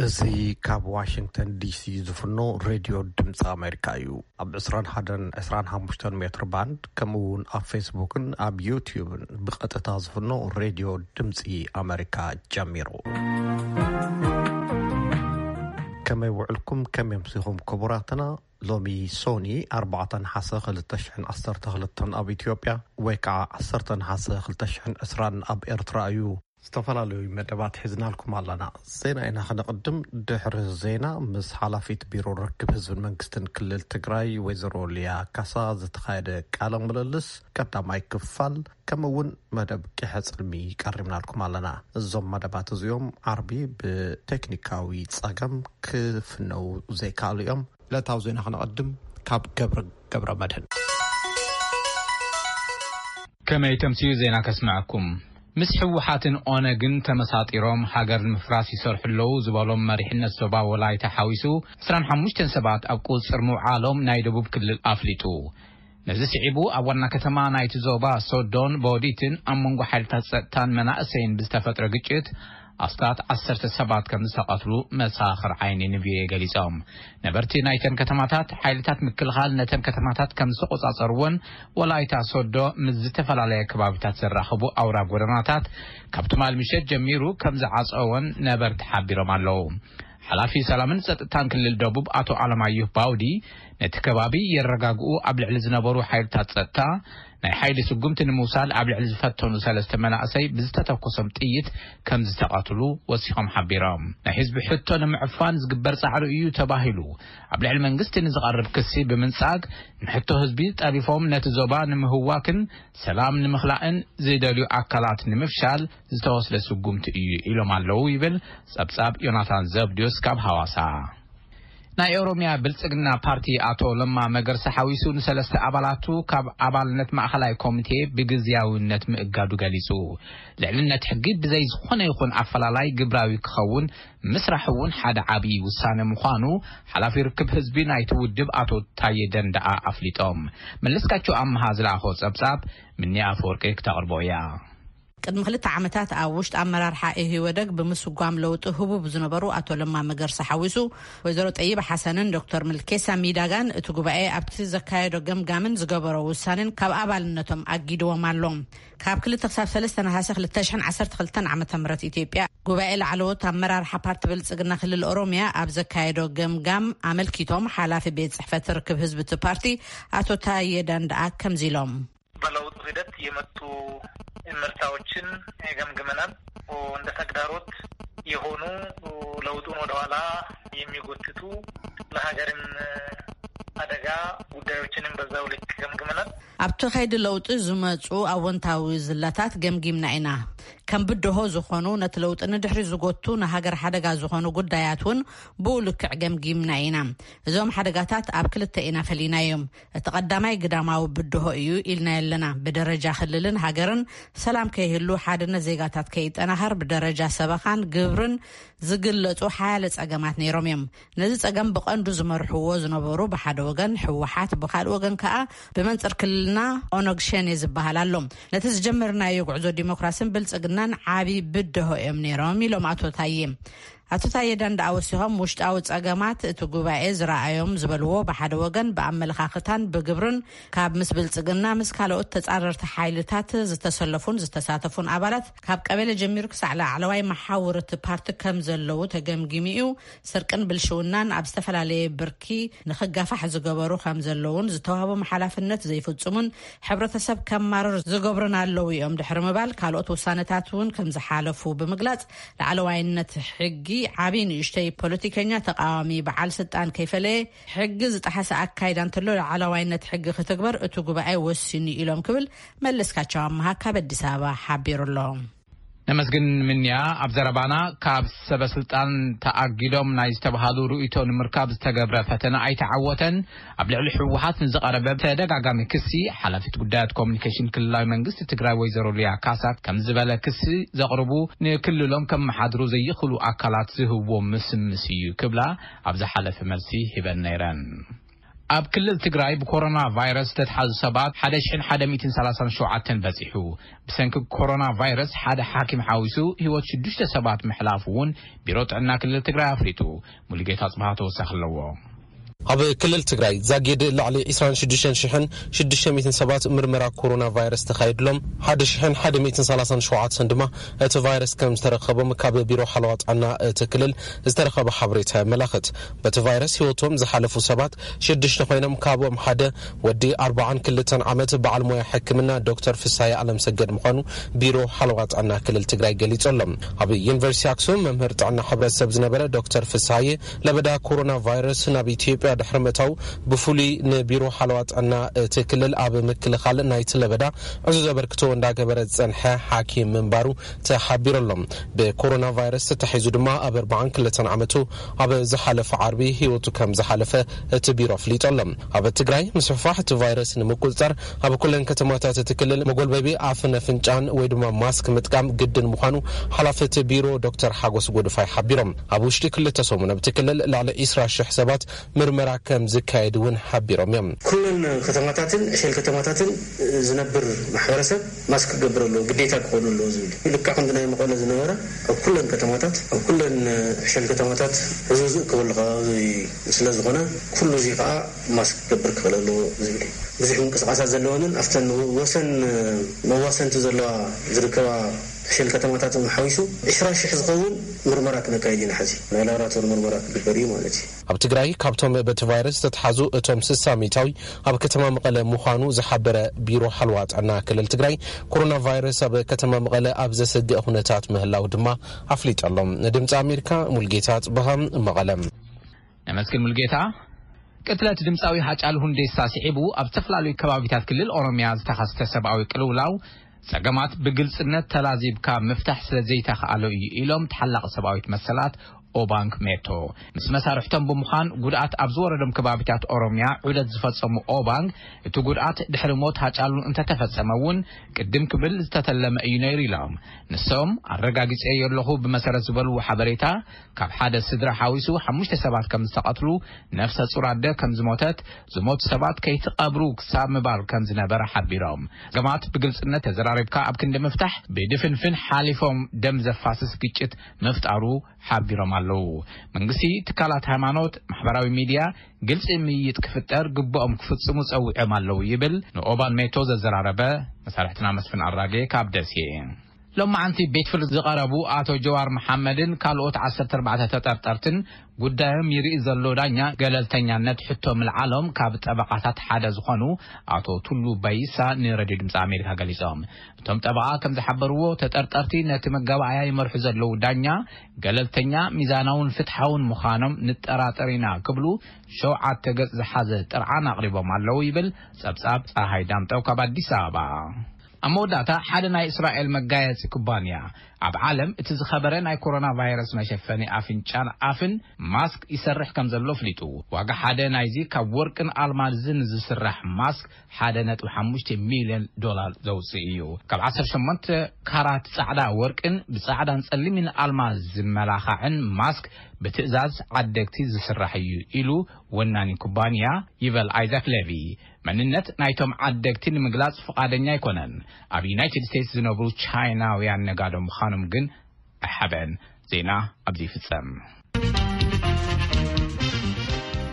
እዚ ካብ ዋሽንግተን ዲሲ ዝፍኖ ሬድዮ ድምፂ ኣሜሪካ እዩ። ኣብ ዕስራን ሓደን ዕስራን ሓሙሽተን ሜትር ባንድ፣ ከምኡ እውን ኣብ ፌስቡክን ኣብ ዩቲዩብን ብቐጥታ ዝፍኖ ሬድዮ ድምፂ ኣሜሪካ ጀሚሩ። ከመይ ውዕልኩም? ከመይ ኣምሲኹም ክቡራትና? ሎሚ ሶኒ ኣርባዕተ ነሓሰ ክልተ ሽሕን ዓሰርተ ክልተን ኣብ ኢትዮጵያ፣ ወይ ከዓ ዓሰርተ ነሓሰ ክልተ ሽሕን ዕስራን ኣብ ኤርትራ እዩ። ዝተፈላለዩ መደባት ሒዝናልኩም ኣለና። ዜና ኢና ክነቕድም። ድሕሪ ዜና ምስ ሓላፊት ቢሮ ርክብ ህዝብን መንግስትን ክልል ትግራይ ወይዘሮ ሊያ ካሳ ዝተኻየደ ቃለ ምልልስ ቀዳማይ ክፋል፣ ከምኡ እውን መደብ ቂሐ ጽልሚ ቀሪብናልኩም ኣለና። እዞም መደባት እዚኦም ዓርቢ ብቴክኒካዊ ጸገም ክፍነው ዘይከኣሉ እዮም። ዕለታዊ ዜና ክነቐድም ካብ ገብረ፣ ገብረ መድህን። ከመይ ተምስዩ ዜና ከስምዐኩም። ምስ ህወሓትን ኦነግን ተመሳጢሮም ሃገር ንምፍራስ ይሰርሑ ኣለዉ ዝበሎም መሪሕነት ዞባ ወላይታ ሓዊሱ ዕስራን ሓሙሽተን ሰባት ኣብ ቁፅፅር ምውዓሎም ናይ ደቡብ ክልል ኣፍሊጡ። ነዚ ስዒቡ ኣብ ዋና ከተማ ናይቲ ዞባ ሶዶን ቦዲትን ኣብ መንጎ ሓይልታት ጸጥታን መናእሰይን ብዝተፈጥረ ግጭት ኣስታት ዓሰርተ ሰባት ከም ዝተቐትሉ መሳኽር ዓይኒ ንቪኦኤ ገሊጾም። ነበርቲ ናይተን ከተማታት ሓይልታት ምክልኻል ነተን ከተማታት ከም ዝተቆጻጸርዎን ወላይታ ሶዶ ምስ ዝተፈላለየ ከባቢታት ዘራኽቡ ኣውራ ጎደናታት ካብ ትማል ምሸት ጀሚሩ ከም ዝዓጸዎን ነበርቲ ሓቢሮም ኣለዉ። ሓላፊ ሰላምን ጸጥታን ክልል ደቡብ ኣቶ ኣለማየሁ ባውዲ ነቲ ከባቢ የረጋግኡ ኣብ ልዕሊ ዝነበሩ ሓይልታት ጸጥታ ናይ ሓይሊ ስጉምቲ ንምውሳድ ኣብ ልዕሊ ዝፈተኑ ሰለስተ መናእሰይ ብዝተተኮሶም ጥይት ከም ዝተቐትሉ ወሲኾም ሓቢሮም። ናይ ህዝቢ ሕቶ ንምዕፋን ዝግበር ጻዕሪ እዩ ተባሂሉ ኣብ ልዕሊ መንግስቲ ንዝቐርብ ክሲ ብምንጻግ፣ ንሕቶ ህዝቢ ጠሪፎም ነቲ ዞባ ንምህዋክን ሰላም ንምኽላእን ዝደልዩ ኣካላት ንምፍሻል ዝተወስደ ስጉምቲ እዩ ኢሎም ኣለዉ ይብል ጸብጻብ ዮናታን ዘብድዮስ ካብ ሃዋሳ። ናይ ኦሮምያ ብልጽግና ፓርቲ ኣቶ ለማ መገርሳ ሓዊሱ ንሰለስተ ኣባላቱ ካብ ኣባልነት ማእኸላይ ኮሚቴ ብግዝያውነት ምእጋዱ ገሊጹ። ልዕልነት ሕጊ ብዘይ ዝኾነ ይኹን ኣፈላላይ ግብራዊ ክኸውን ምስራሕ እውን ሓደ ዓብዪ ውሳነ ምዃኑ ሓላፊ ርክብ ህዝቢ ናይቲ ውድብ ኣቶ ታየ ደንደኣ ኣፍሊጦም። መለስካቸው ኣምሃ ዝለኣኾ ጸብጻብ ምንያ ኣፈወርቂ ክተቕርቦ እያ። ቅድሚ ክልተ ዓመታት ኣብ ውሽጢ ኣመራርሓ ኢህወደግ ብምስጓም ለውጢ ህቡብ ዝነበሩ ኣቶ ለማ መገርሳ ሓዊሱ ወይዘሮ ጠይብ ሓሰንን ዶክተር ምልኬሳ ሚዳጋን እቲ ጉባኤ ኣብቲ ዘካየዶ ገምጋምን ዝገበሮ ውሳኔን ካብ ኣባልነቶም ኣጊድዎም ኣሎ። ካብ ክልተ ክሳብ ሰለስተ ነሓሰ ክልተ ሽሕን ዓሰርተ ክልተን ዓመተ ምህረት ኢትዮጵያ ጉባኤ ላዕለዎት ኣመራርሓ ፓርቲ ብልጽግና ክልል ኦሮምያ ኣብ ዘካየዶ ገምጋም ኣመልኪቶም ሓላፊ ቤት ጽሕፈት ርክብ ህዝቢ እቲ ፓርቲ ኣቶ ታየ ደንደኣ ከምዚ ኢሎም። በለውጡ ሂደት የመጡ እምርታዎችን ገምግመናል። እንደ ተግዳሮት የሆኑ ለውጡን ወደኋላ የሚጎትቱ ለሀገርም አደጋ ጉዳዮችንም በዛው ልክ ገምግመናል። ኣብቲ ከይዲ ለውጢ ዝመፁ ኣወንታዊ ዝላታት ገምጊምና ኢና። ከም ብድሆ ዝኾኑ ነቲ ለውጢ ንድሕሪ ዝጎቱ ንሃገር ሓደጋ ዝኾኑ ጉዳያት እውን ብኡ ልክዕ ገምጊምና ኢና። እዞም ሓደጋታት ኣብ ክልተ ኢና ፈሊናዮም። እቲ ቀዳማይ ግዳማዊ ብድሆ እዩ ኢልና ኣለና። ብደረጃ ክልልን ሃገርን ሰላም ከይህሉ፣ ሓድነት ዜጋታት ከይጠናኸር፣ ብደረጃ ሰበኻን ግብርን ዝግለጹ ሓያለ ጸገማት ነይሮም እዮም። ነዚ ጸገም ብቐንዱ ዝመርሕዎ ዝነበሩ ብሓደ ወገን ህወሓት፣ ብኻልእ ወገን ከኣ ብመንጽር ክልልና ኦነግ ሸኔ ዝበሃል ኣሎ። ነቲ ዝጀመርናዮ ጉዕዞ ዲሞክራስን ብልጽግናን ዓቢ ብድሆ እዮም ነይሮም ኢሎም ኣቶ ታዬ። ኣቶ ታዬ ደንደኣ ወሲኾም፣ ውሽጣዊ ጸገማት እቲ ጉባኤ ዝረኣዮም ዝበልዎ ብሓደ ወገን ብኣመለኻኽታን ብግብርን ካብ ምስ ብልጽግና ምስ ካልኦት ተጻረርቲ ሓይልታት ዝተሰለፉን ዝተሳተፉን ኣባላት ካብ ቀበሌ ጀሚሩ ክሳዕ ላዕለዋይ መሓውር እቲ ፓርቲ ከም ዘለዉ ተገምጊሙ እዩ። ስርቅን ብልሽውናን ኣብ ዝተፈላለየ ብርኪ ንኽጋፋሕ ዝገበሩ ከም ዘለዉን ዝተዋህቦም ሓላፍነት ዘይፍጽሙን ሕብረተሰብ ከማርር ዝገብሩን ኣለዉ እዮም ድሕሪ ምባል ካልኦት ውሳነታት እውን ከም ዝሓለፉ ብምግላጽ ላዕለዋይነት ሕጊ ዓብዪ ንእሽተይ ፖለቲከኛ ተቃዋሚ በዓል ስልጣን ከይፈለየ ሕጊ ዝጠሓሰ ኣካይዳ እንተሎ ላዕለዋይነት ሕጊ ክትግበር እቲ ጉባኤ ወሲኑ ኢሎም ክብል መለስካቸው ኣመሃ ካብ ኣዲስ ኣበባ ሓቢሩ ኣሎ። ነመስግን ምንያ። ኣብ ዘረባና ካብ ሰበ ስልጣን ተኣጊዶም ናይ ዝተባሃሉ ርእይቶ ንምርካብ ዝተገብረ ፈተነ ኣይተዓወተን። ኣብ ልዕሊ ህወሓት ንዝቐረበ ተደጋጋሚ ክሲ ሓላፊት ጉዳያት ኮሚኒኬሽን ክልላዊ መንግስቲ ትግራይ ወይዘሮ ሊያ ካሳ ከም ዝበለ ክሲ ዘቕርቡ ንክልሎም ከመሓድሩ ዘይኽእሉ ኣካላት ዝህብዎ ምስምስ እዩ ክብላ ኣብ ዝሓለፈ መልሲ ሂበን ነይረን። ኣብ ክልል ትግራይ ብኮሮና ቫይረስ ዝተትሓዙ ሰባት ሓደ ሽሕን ሓደ ሚእትን ሰላሳን ሸውዓተን በጺሑ። ብሰንኪ ኮሮና ቫይረስ ሓደ ሓኪም ሓዊሱ ህይወት ሽዱሽተ ሰባት ምሕላፉ እውን ቢሮ ጥዕና ክልል ትግራይ ኣፍሊጡ። ሙሉጌታ ጽባህ ተወሳኺ ኣለዎ። ኣብ ክልል ትግራይ ዛጊድ ልዕሊ ዕስራን ሽዱሽተን ሽሕን ሽዱሽተ ሚእትን ሰባት ምርመራ ኮሮና ቫይረስ ተኻይድሎም፣ ሓደ ሽሕን ሓደ ሚእትን ሰላሳን ሸውዓተን ድማ እቲ ቫይረስ ከም ዝተረኸቦም ካብ ቢሮ ሓለዋ ጥዕና እቲ ክልል ዝተረኸበ ሓበሬታ የመላኽት። በቲ ቫይረስ ህይወቶም ዝሓለፉ ሰባት ሽዱሽተ ኮይኖም፣ ካብኦም ሓደ ወዲ ኣርባዓን ክልተን ዓመት በዓል ሞያ ሕክምና ዶክተር ፍሳይ ኣለምሰገድ ምዃኑ ቢሮ ሓለዋ ጥዕና ክልል ትግራይ ገሊጹ ኣሎ። ኣብ ዩኒቨርሲቲ ኣክሱም መምህር ጥዕና ሕብረተሰብ ዝነበረ ዶክተር ፍሳይ፣ ለበዳ ኮሮና ቫይረስ ናብ ኢትዮጵያ ድሕሪ ምእታው ብፍሉይ ንቢሮ ሓለዋ ጥዕና እቲ ክልል ኣብ ምክልኻል ናይቲ ለበዳ ዕዙዝ ኣበርክቶ እንዳገበረ ዝጸንሐ ሓኪም ምንባሩ ተሓቢሩ ኣሎ። ብኮሮና ቫይረስ ተታሒዙ ድማ ኣብ ኣርባዓን ክልተን ዓመቱ ኣብ ዝሓለፈ ዓርቢ ህይወቱ ከም ዝሓለፈ እቲ ቢሮ ኣፍሊጡ ኣሎ። ኣብ ትግራይ ምስፍሕፋሕ እቲ ቫይረስ ንምቁጽጻር ኣብ ኩለን ከተማታት እቲ ክልል መጎልበቢ ኣፍን ኣፍንጫን ወይ ድማ ማስክ ምጥቃም ግድን ምዃኑ ሓላፊ እቲ ቢሮ ዶክተር ሓጎስ ጎድፋይ ሓቢሮም። ኣብ ውሽጢ ክልተ ሰሙን ኣብቲ ክልል ልዕሊ ዕስራ ሽሕ ሰባት ምርመራ ከም ዝካየድ እውን ሓቢሮም እዮም። ኩለን ከተማታትን ዕሸል ከተማታትን ዝነብር ማሕበረሰብ ማስክ ክገብር ኣለዎ፣ ግዴታ ክኾኑ ኣለዎ ዝብል እዩ። ልክዕ ከምቲ ናይ መቐለ ዝነበረ ኣብ ኩለን ከተማታት፣ ኣብ ኩለን ዕሸል ከተማታት ህዝቢ ዝእከበሉ ከባቢ ስለ ዝኾነ፣ ኩሉ እዚ ከዓ ማስክ ክገብር ክኽእል ኣለዎ ዝብል እዩ። ብዙሕ ምንቅስቃሳት ዘለወንን ኣብተን ወሰን መዋሰንቲ ዘለዋ ዝርከባ ዕሸል ከተማታት እውን ሓዊሱ ዕስራ ሽሕ ዝኸውን ምርመራ ክነካይድ ኢና። ሕዚ ናይ ላብራቶሪ ምርመራ ክግበር እዩ ማለት እዩ። ኣብ ትግራይ ካብቶም በቲ ቫይረስ ዝተትሓዙ እቶም ስሳ ሚእታዊ ኣብ ከተማ መቐለ ምዃኑ ዝሓበረ ቢሮ ሓለዋ ጥዕና ክልል ትግራይ፣ ኮሮና ቫይረስ ኣብ ከተማ መቐለ ኣብ ዘሰግእ ኩነታት ምህላው ድማ ኣፍሊጡ ኣሎ። ንድምፂ ኣሜሪካ ሙልጌታ ጽበሃ፣ መቐለ። ነመስግን ሙልጌታ። ቅትለት ድምፃዊ ሃጫሉ ሁንዴሳ ስዒቡ ኣብ ዝተፈላለዩ ከባቢታት ክልል ኦሮሚያ ዝተኸስተ ሰብኣዊ ቅልውላው ጸገማት ብግልጽነት ተላዚብካ ምፍታሕ ስለ ዘይተኻእሎ እዩ ኢሎም ተሓላቒ ሰብኣዊት መሰላት ኦባንግ ሜቶ። ምስ መሳርሕቶም ብምዃን ጉድኣት ኣብ ዝወረዶም ከባቢታት ኦሮሚያ ዑደት ዝፈጸሙ ኦባንግ፣ እቲ ጉድኣት ድሕሪ ሞት ሃጫሉ እንተተፈጸመ እውን ቅድም ክብል ዝተተለመ እዩ ነይሩ ኢሎም። ንሶም ኣረጋጊጸዮ ኣለኹ ብመሰረት ዝበልዎ ሓበሬታ ካብ ሓደ ስድራ ሓዊሱ ሓሙሽተ ሰባት ከም ዝተቐትሉ፣ ነፍሰ ጹር ኣደ ከም ዝሞተት፣ ዝሞቱ ሰባት ከይትቐብሩ ክሳብ ምባል ከም ዝነበረ ሓቢሮም። ጸገማት ብግልጽነት ተዘራሪብካ ኣብ ክንዲ ምፍታሕ ብድፍንፍን ሓሊፎም ደም ዘፋስስ ግጭት ምፍጣሩ ሓቢሮም ኣለዉ። መንግስቲ፣ ትካላት ሃይማኖት፣ ማሕበራዊ ሚድያ ግልጺ ምይይጥ ክፍጠር ግቡኦም ክፍጽሙ ጸዊዖም ኣለዉ ይብል ንኦባን ሜቶ ዘዘራረበ መሳርሕትና መስፍን ኣራጌ ካብ ደሴ። ሎማዓንቲ ቤት ፍርዲ ዝቐረቡ ኣቶ ጀዋር መሓመድን ካልኦት ዓሰርተ ኣርባዕተ ተጠርጠርትን ጉዳዮም ይርኢ ዘሎ ዳኛ ገለልተኛነት ሕቶ ምልዓሎም ካብ ጠበቓታት ሓደ ዝኾኑ ኣቶ ቱሉ ባይሳ ንሬድዮ ድምፂ ኣሜሪካ ገሊጾም። እቶም ጠበቓ ከም ዝሓበርዎ፣ ተጠርጠርቲ ነቲ መጋባእያ ይመርሑ ዘለዉ ዳኛ ገለልተኛ፣ ሚዛናውን ፍትሓውን ምዃኖም ንጠራጠር ኢና ክብሉ ሸውዓተ ገጽ ዝሓዘ ጥርዓን ኣቕሪቦም ኣለዉ ይብል ጸብጻብ ጸሃይ ዳምጠው ካብ ኣዲስ ኣበባ። ኣብ መወዳእታ፣ ሓደ ናይ እስራኤል መጋየጺ ኩባንያ ኣብ ዓለም እቲ ዝኸበረ ናይ ኮሮና ቫይረስ መሸፈኒ ኣፍንጫን ኣፍን ማስክ ይሰርሕ ከም ዘሎ ኣፍሊጡ። ዋጋ ሓደ ናይዚ ካብ ወርቅን ኣልማዝን ዝስራሕ ማስክ ሓደ ነጥቢ ሓሙሽተ ሚልዮን ዶላር ዘውፅእ እዩ። ካብ ዓሰርተ ሸሞንተ ካራት ፃዕዳ ወርቅን ብፃዕዳን ፀሊምን ኣልማዝ ዝመላኻዕን ማስክ ብትእዛዝ ዓደግቲ ዝስራሕ እዩ ኢሉ ወናኒ ኩባንያ ይበል ኣይዛክ ሌቪ። መንነት ናይቶም ዓደግቲ ንምግላጽ ፍቓደኛ ኣይኮነን። ኣብ ዩናይትድ ስቴትስ ዝነብሩ ቻይናውያን ነጋዶ ምዃኖም ግን ኣይሓብአን። ዜና ኣብዚ ይፍጸም።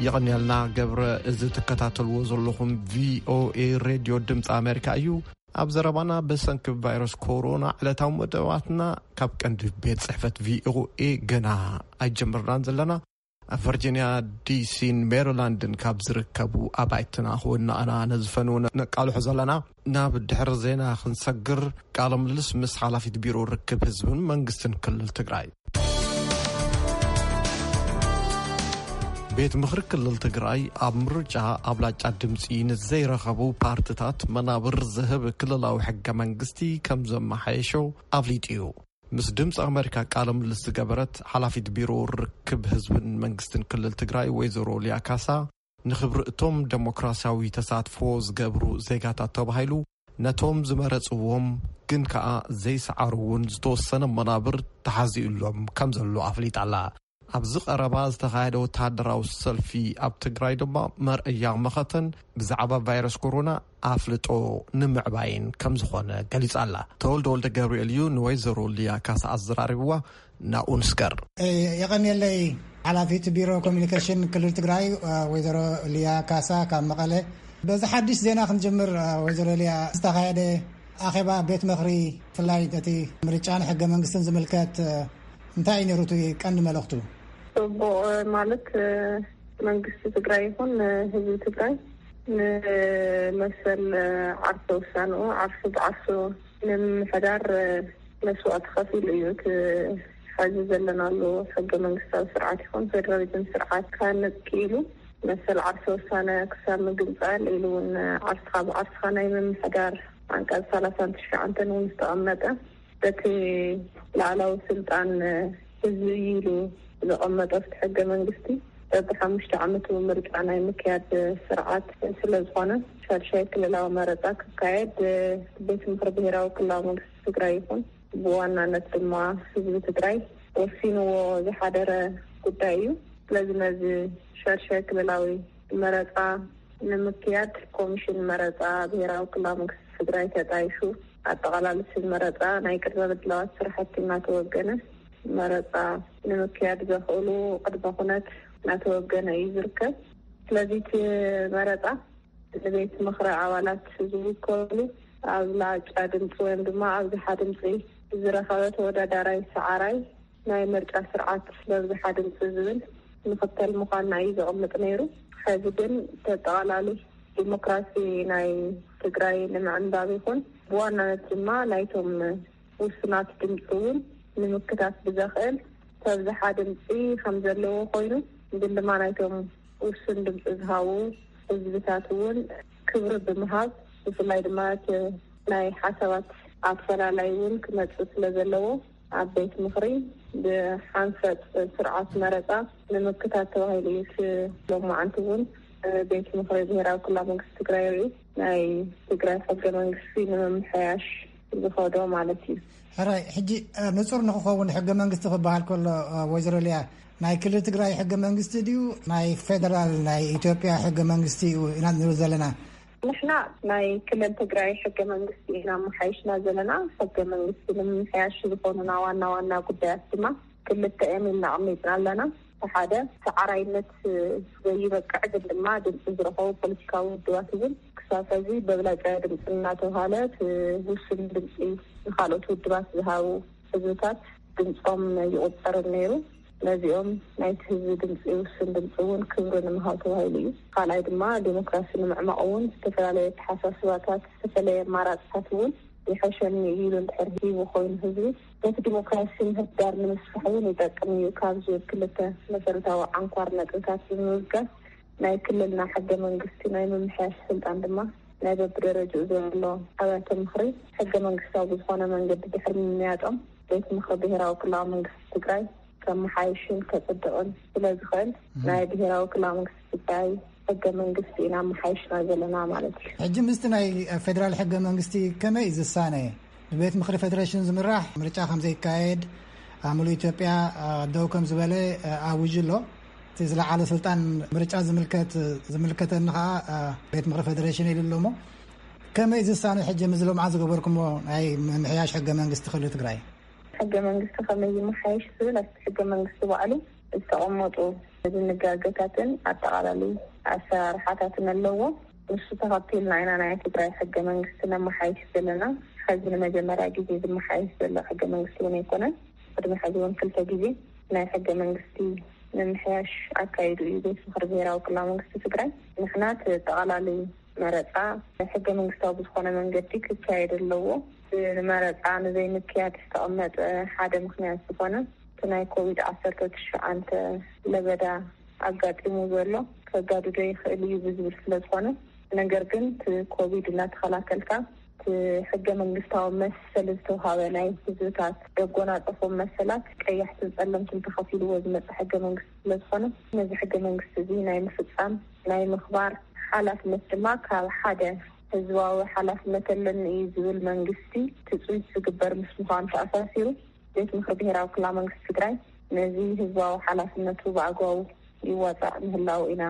የቐንየልና ገብረ። እዚ ትከታተልዎ ዘለኹም ቪኦኤ ሬድዮ ድምፂ ኣሜሪካ እዩ። ኣብ ዘረባና፣ ብሰንኪ ቫይረስ ኮሮና ዕለታዊ መደባትና ካብ ቀንዲ ቤት ጽሕፈት ቪኦኤ ገና ኣይጀመርናን ዘለና። ኣብ ቨርጂንያ ዲሲን ሜሪላንድን ካብ ዝርከቡ ኣባይትና ክወናእና ነዝፈኑ ነቃልሑ ዘለና። ናብ ድሕሪ ዜና ክንሰግር፣ ቃለ ምልልስ ምስ ሓላፊት ቢሮ ርክብ ህዝብን መንግስትን ክልል ትግራይ። ቤት ምኽሪ ክልል ትግራይ ኣብ ምርጫ ኣብላጫ ድምፂ ንዘይረኸቡ ፓርትታት መናብር ዝህብ ክልላዊ ሕገ መንግስቲ ከም ዘመሓየሾ ኣፍሊጡ እዩ። ምስ ድምፂ ኣሜሪካ ቃለ ምልልስ ዝገበረት ሓላፊት ቢሮ ርክብ ህዝብን መንግስትን ክልል ትግራይ ወይዘሮ ሊያ ካሳ፣ ንኽብሪ እቶም ደሞክራሲያዊ ተሳትፎ ዝገብሩ ዜጋታት ተባሂሉ ነቶም ዝመረፅዎም ግን ከኣ ዘይሰዓሩ እውን ዝተወሰነ መናብር ተሓዚኡሎም ከም ዘሎ ኣፍሊጣ ኣላ። ኣብዚ ቀረባ ዝተኻየደ ወተሃደራዊ ሰልፊ ኣብ ትግራይ ድማ መርኣያ መኸተን ብዛዕባ ቫይረስ ኮሮና ኣፍልጦ ንምዕባይን ከም ዝኾነ ገሊጻ ኣላ። ተወልደ ወልደ ገብርኤል እዩ ንወይዘሮ ሊያ ካሳ ኣዘራሪብዋ። ናብኡ ንስገር። የቐንየለይ። ሓላፊት ቢሮ ኮሚኒኬሽን ክልል ትግራይ ወይዘሮ ሊያ ካሳ ካብ መቐለ። በዚ ሓድሽ ዜና ክንጅምር። ወይዘሮ ሊያ፣ ዝተኻየደ ኣኼባ ቤት ምኽሪ፣ ብፍላይ እቲ ምርጫን ሕገ መንግስትን ዝምልከት፣ እንታይ እዩ ነይሩ እቲ ቀንዲ መልእኽቱ? ጽቡቕ። ማለት መንግስቲ ትግራይ ይኹን ህዝቢ ትግራይ ንመሰል ዓርሰ ውሳንኡ፣ ዓርሱ ብዓርሱ ንምምሕዳር መስዋእቲ ከፊሉ እዩ። እቲ ሕዚ ዘለናሉ ሕገ መንግስታዊ ስርዓት ይኹን ፌደራሊዝም ስርዓት ክሃንጽ ክኢሉ፣ መሰል ዓርሰ ውሳነ ክሳብ ምግንጻል ኢሉ እውን ዓርስኻ ብዓርስኻ ናይ ምምሕዳር፣ ዓንቀጽ ሰላሳን ትሽዓተን እውን ዝተቐመጠ፣ በቲ ላዕላዊ ስልጣን ህዝቢ እዩ ኢሉ ዘቐመጠ ኣብቲ ሕገ መንግስቲ፣ በብሓሙሽተ ዓመቱ ምርጫ ናይ ምክያድ ስርዓት ስለ ዝኾነ፣ ሻድሻይ ክልላዊ መረፃ ክካየድ ቤት ምኽሪ ብሄራዊ ክልላዊ መንግስቲ ትግራይ ይኹን ብዋናነት ድማ ህዝቢ ትግራይ ወሲንዎ ዝሓደረ ጉዳይ እዩ። ስለዚ ነዚ ሻድሻይ ክልላዊ መረፃ ንምክያድ ኮሚሽን መረፃ ብሄራዊ ክልላዊ መንግስቲ ትግራይ ተጣይሹ፣ ኣጠቓላሊ ስም መረፃ ናይ ቅድመ ምድላዋት ስራሕቲ እናተወገነ፣ መረፃ ንምክያድ ዘኽእሉ ቅድመ ኩነት እናተወገነ እዩ ዝርከብ። ስለዚ እቲ መረፃ ንቤት ምኽሪ ኣባላት ዝውከሉ ኣብላጫ ድምፂ ወይም ድማ ኣብዝሓ ድምፂ ዝረኸበ ተወዳዳራይ ሰዓራይ ናይ ምርጫ ስርዓት ለብዝሓ ድምፂ ዝብል ምኽተል ምዃንና እዩ ዘቕምጥ ነይሩ። ሕዚ ግን ተጠቓላሊ ዲሞክራሲ ናይ ትግራይ ንምዕንባብ ይኹን ብዋናነት ድማ ናይቶም ውሱናት ድምፂ እውን ንምክታት ብዘኽእል ተብዝሓ ድምፂ ከም ዘለዎ ኮይኑ፣ ግን ድማ ናይቶም ውሱን ድምፂ ዝሃቡ ህዝብታት እውን ክብሪ ብምሃብ፣ ብፍላይ ድማ እቲ ናይ ሓሳባት ኣፈላላይ እውን ክመፅእ ስለ ዘለዎ፣ ኣብ ቤት ምኽሪ ብሓንፈፅ ስርዓት መረፃ ንምክታት ተባሂሉ እዩ። እቲ ሎማዓንቲ እውን ቤት ምኽሪ ብሄራዊ ክልላዊ መንግስቲ ትግራይ ሪኡ ናይ ትግራይ ሕገ መንግስቲ ንምምሕያሽ ዝኸዶ ማለት እዩ። ሕራይ፣ ሕጂ ንፁር ንክኸውን ሕገ መንግስቲ ክበሃል ከሎ፣ ወይዘሮ ሊያ፣ ናይ ክልል ትግራይ ሕገ መንግስቲ ድዩ ናይ ፌደራል ናይ ኢትዮጵያ ሕገ መንግስቲ እዩ ኢና ንብል ዘለና? ንሕና ናይ ክልል ትግራይ ሕገ መንግስቲ ኢና መሓይሽና ዘለና። ሕገ መንግስቲ ንምምሕያሽ ዝኾኑና ዋና ዋና ጉዳያት ድማ ክልተ እዮም ኢልና ኣቕሚጥና ኣለና። እቲ ሓደ ሰዓራይነት ዘይበቅዕ ግን ድማ ድምፂ ዝረኸቡ ፖለቲካዊ ውድባት እውን ክሳብ ሕዚ በብላጫ ድምፂ እናተብሃለ እቲ ውሱን ድምፂ ንካልኦት ውድባት ዝሃቡ ህዝብታት ድምፆም ይቑፀር ነይሩ። ነዚኦም ናይቲ ህዝቢ ድምፂ ውሱን ድምፂ እውን ክብሪ ንምሃብ ተባሂሉ እዩ። ካልኣይ ድማ ዴሞክራሲ ንምዕማቕ እውን ዝተፈላለየ ኣተሓሳስባታት፣ ዝተፈላለየ ኣማራፅታት እውን ይሐሸኒ እዩ ኢሉ እንድሕር ሂቡ ኮይኑ ህዝቢ ነቲ ዲሞክራሲ ምህዳር ንምስፋሕ እውን ይጠቅም እዩ ካብ ዝብል ክልተ መሰረታዊ ዓንኳር ነጥብታት ብምብጋስ ናይ ክልልና ሕገ መንግስቲ ናይ ምምሕያሽ ስልጣን ድማ ናይ በብደረጃኡ ዘሎ ኣብያተ ምኽሪ ሕገ መንግስታዊ ብዝኾነ መንገዲ ድሕሪ ምምያጦም ቤት ምኽሪ ብሄራዊ ክልላዊ መንግስቲ ትግራይ ከመሓይሽን ከፅድቕን ስለ ዝኽእል ናይ ብሄራዊ ክልላዊ መንግስቲ ትግራይ ሕገ መንግስቲ ኢና መሓይሽና ዘለና ማለት እዩ። ሕጂ ምስቲ ናይ ፌደራል ሕገ መንግስቲ ከመይ እዩ ዝሳነ? ብቤት ምኽሪ ፌደሬሽን ዝምራሕ ምርጫ ከም ዘይካየድ ኣብ ሙሉእ ኢትዮጵያ ደው ከም ዝበለ ኣውጁ ኣሎ። እቲ ዝለዓለ ስልጣን ምርጫ ዝምልከት ዝምልከተኒ ከዓ ቤት ምኽሪ ፌደሬሽን ኢሉ ኣሎ። እሞ ከመይ ዝሳነ ሕጂ ምስ ሎምዓ ዝገበርኩሞ ናይ ምምሕያሽ ሕገ መንግስቲ ክልል ትግራይ? ሕገ መንግስቲ ከመይ ይመሓየሽ ዝብል ኣብቲ ሕገ መንግስቲ ባዕሉ ዝተቐመጡ ድንጋገታትን ኣጠቓላሊ ኣሰራርሓታትን ኣለዎ። ንሱ ተኸቲልና ኢና ናይ ትግራይ ሕገ መንግስቲ ነመሓይሽ ዘለና። ሕዚ ንመጀመርያ ግዜ ዝመሓየሽ ዘሎ ሕገ መንግስቲ እውን ኣይኮነን። ቅድሚ ሕዚ እውን ክልተ ግዜ ናይ ሕገ መንግስቲ ምምሕያሽ ኣካይዱ እዩ ቤት ምኽሪ ብሄራዊ ክልላዊ መንግስቲ ትግራይ። ንሕና እቲ ኣጠቓላሊ መረፃ ሕገ መንግስታዊ ብዝኾነ መንገዲ ክካየድ ኣለዎ። ንመረፃ ንዘይምክያድ ዝተቐመጠ ሓደ ምኽንያት ዝኾነ እቲ ናይ ኮቪድ ዓሰርተ ትሽዓተ ለበዳ ኣጋጢሙ ዘሎ ከጋድዶ ይኽእል እዩ ብዝብል ስለ ዝኾነ፣ ነገር ግን እቲ ኮቪድ እናተኸላከልካ እቲ ሕገ መንግስታዊ መሰል ዝተውሃበ ናይ ህዝብታት ዘጎናፀፎም መሰላት ቀያሕትን ፀለምትን ተኸፊልዎ ዝመፀ ሕገ መንግስቲ ስለ ዝኾነ፣ ነዚ ሕገ መንግስቲ እዚ ናይ ምፍፃም ናይ ምኽባር ሓላፍነት ድማ ካብ ሓደ ህዝባዊ ሓላፍነት ኣለኒ እዩ ዝብል መንግስቲ ትፅቢት ዝግበር ምስ ምዃኑ ተኣሳሲሩ፣ ቤት ምኽሪ ብሄራዊ ክልላዊ መንግስቲ ትግራይ ነዚ ህዝባዊ ሓላፍነቱ ብኣግባቡ ይዋፃእ ምህላው ኢና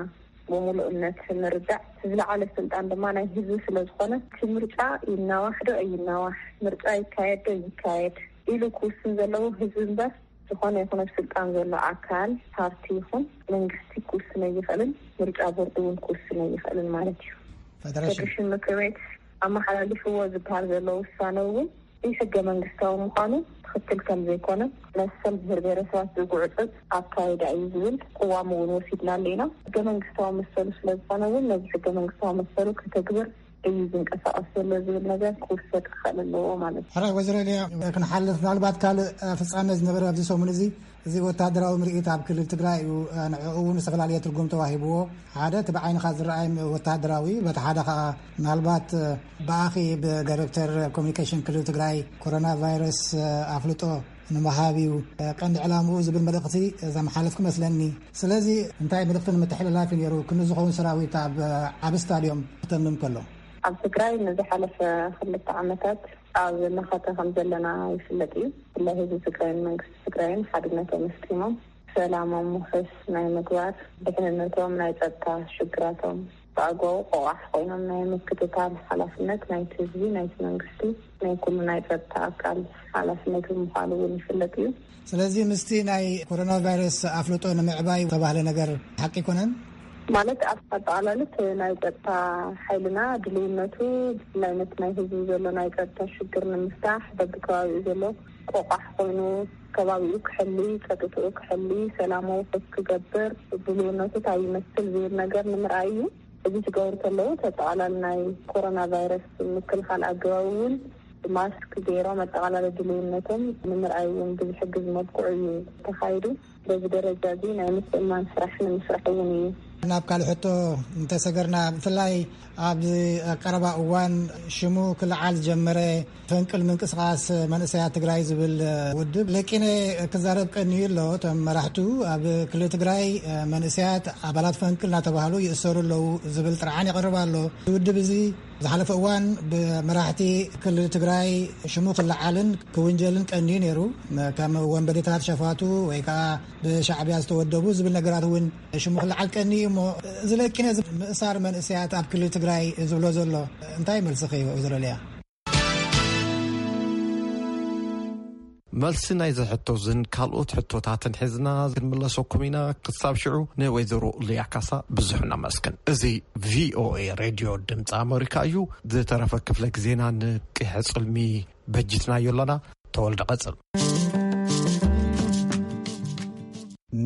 ብምሉእነት ንርዳእ። ዝለዓለ ስልጣን ድማ ናይ ህዝቢ ስለ ዝኾነ፣ እቲ ምርጫ ይናዋሕ ዶ ኣይናዋሕ፣ ምርጫ ይካየድ ዶ ይካየድ ኢሉ ክውስን ዘለዎ ህዝቢ እምበር፣ ዝኾነ ይኹን ኣብ ስልጣን ዘሎ ኣካል፣ ፓርቲ ይኹን መንግስቲ ክውስን ኣይኽእልን። ምርጫ ቦርድ እውን ክውስን ኣይኽእልን ማለት እዩ። ፌደሬሽን ምክር ቤት ኣመሓላሊፍዎ ዝበሃል ዘሎ ውሳነ እውን ሕገ መንግስታዊ ምዃኑ ትኽክል ከም ዘይኮነ፣ መሰል ብሄር ብሄረሰባት ዝጉዕፅፅ ኣካይዳ እዩ ዝብል ቅዋም እውን ወሲድናሉ ኢና። ሕገ መንግስታዊ መሰሉ ስለ ዝኾነ እውን ነዚ ሕገ መንግስታዊ መሰሉ ከተግብር እዩ ዝንቀሳቐስ ዘሎ ዝብል ነገር ክውሰድ ክኽእል ኣለዎ ማለት እዩ። ሕራይ ወይዘሮ ኤልያ፣ ክንሓልፍ ምናልባት ካልእ ፍጻመ ዝነበረ ኣብዚ ሰሙን እዚ፣ እዚ ወታደራዊ ምርኢት ኣብ ክልል ትግራይ እዩ። ንዕኡ እውን ዝተፈላለየ ትርጉም ተዋሂብዎ። ሓደ እቲ ብዓይንኻ ዝረኣይ ወታደራዊ፣ በቲ ሓደ ከዓ ምናልባት ብኣኺ ብዳይሬክተር ኮሚኒኬሽን ክልል ትግራይ ኮሮና ቫይረስ ኣፍልጦ ንምሃብ እዩ ቀንዲ ዕላምኡ ዝብል መልእኽቲ ዘመሓለፍኩ መስለኒ። ስለዚ እንታይ መልእኽቲ ንምትሕልላፍ እዩ ነይሩ ክንዲ ዝኸውን ሰራዊት ኣብ ዓቢ ስታድዮም ክተምም ከሎ? ኣብ ትግራይ ንዝሓለፈ ክልተ ዓመታት ኣብ መኸተ ከም ዘለና ይፍለጥ እዩ። ብፍላይ ህዝቢ ትግራይን መንግስቲ ትግራይን ሓድነቶም ኣስጢሞም ሰላሞም ውሑስ ናይ ምግባር፣ ድሕንነቶም፣ ናይ ጸጥታ ሽግራቶም ብኣግባቡ ቆቋሕ ኮይኖም ናይ ምክትታል ሓላፍነት ናይቲ ህዝቢ፣ ናይቲ መንግስቲ፣ ናይ ኩሉ ናይ ጸጥታ ኣካል ሓላፍነት ምዃኑ እውን ይፍለጥ እዩ። ስለዚ ምስቲ ናይ ኮሮና ቫይረስ ኣፍልጦ ንምዕባይ ዝተባህለ ነገር ሓቂ ኣይኮነን? ማለት ኣብ ኣጠቓላልት ናይ ጸጥታ ሓይልና ድልውነቱ፣ ብፍላይ ነቲ ናይ ህዝቢ ዘሎ ናይ ጸጥታ ሽግር ንምፍታሕ በብከባቢኡ ዘሎ ቆቋሕ ኮይኑ ከባቢኡ ክሕሊ፣ ጸጥትኡ ክሕሊ፣ ሰላማዊ ሰልፊ ክገብር ድልውነቱ እንታይ ይመስል ዝብል ነገር ንምርኣይ እዩ። እዚ ክገብሩ ከለዉ፣ እቲ ኣጠቓላሊ ናይ ኮሮና ቫይረስ ምክልኻል ኣገባብ እውን ማስክ ገይሮም ኣጠቓላሊ ድልውነቶም ንምርኣይ እውን ብዝሕግዝ መልክዑ እዩ ተኻይዱ። በዚ ደረጃ እዚ ናይ ምትእምማን ስራሕ ንምስራሕ እውን እዩ። ናብ ካልእ ሕቶ እንተሰገርና፣ ብፍላይ ኣብ ቀረባ እዋን ሽሙ ክለዓል ዝጀመረ ፈንቅል ምንቅስቃስ መንእሰያት ትግራይ ዝብል ውድብ ለቂነ ክዛረብ ቀንዩ ኣሎ። እቶም መራሕቱ ኣብ ክልል ትግራይ መንእሰያት ኣባላት ፈንቅል እናተባህሉ ይእሰሩ ኣለዉ ዝብል ጥርዓን ይቐርብ ኣሎ። እዚ ውድብ እዚ ዝሓለፈ እዋን ብመራሕቲ ክልል ትግራይ ሽሙ ክለዓልን ክውንጀልን ቀንዩ ነይሩ። ከም ወንበዴታት፣ ሸፋቱ ወይ ከዓ ብሻዕብያ ዝተወደቡ ዝብል ነገራት እውን ሽሙ ክለዓል ቀንዩ እሞ፣ እዚ ለቂነ እዚ ምእሳር መንእሰያት ኣብ ክልል ትግራይ ዝብሎ ዘሎ እንታይ መልስኺ እዩ ወይዘሮ ሊያ? መልሲ ናይዚ ሕቶ ዝን ካልኦት ሕቶታትን ሒዝና ክንምለሰኩም ኢና። ክሳብ ሽዑ ንወይዘሮ ሊያ ካሳ ብዙሕ ነመስግን። እዚ ቪኦኤ ሬድዮ ድምፂ ኣመሪካ እዩ። ዝተረፈ ክፍለ ግዜና ንቂሐ ጽልሚ በጅትናዮ ኣለና። ተወልደ ቀጽል።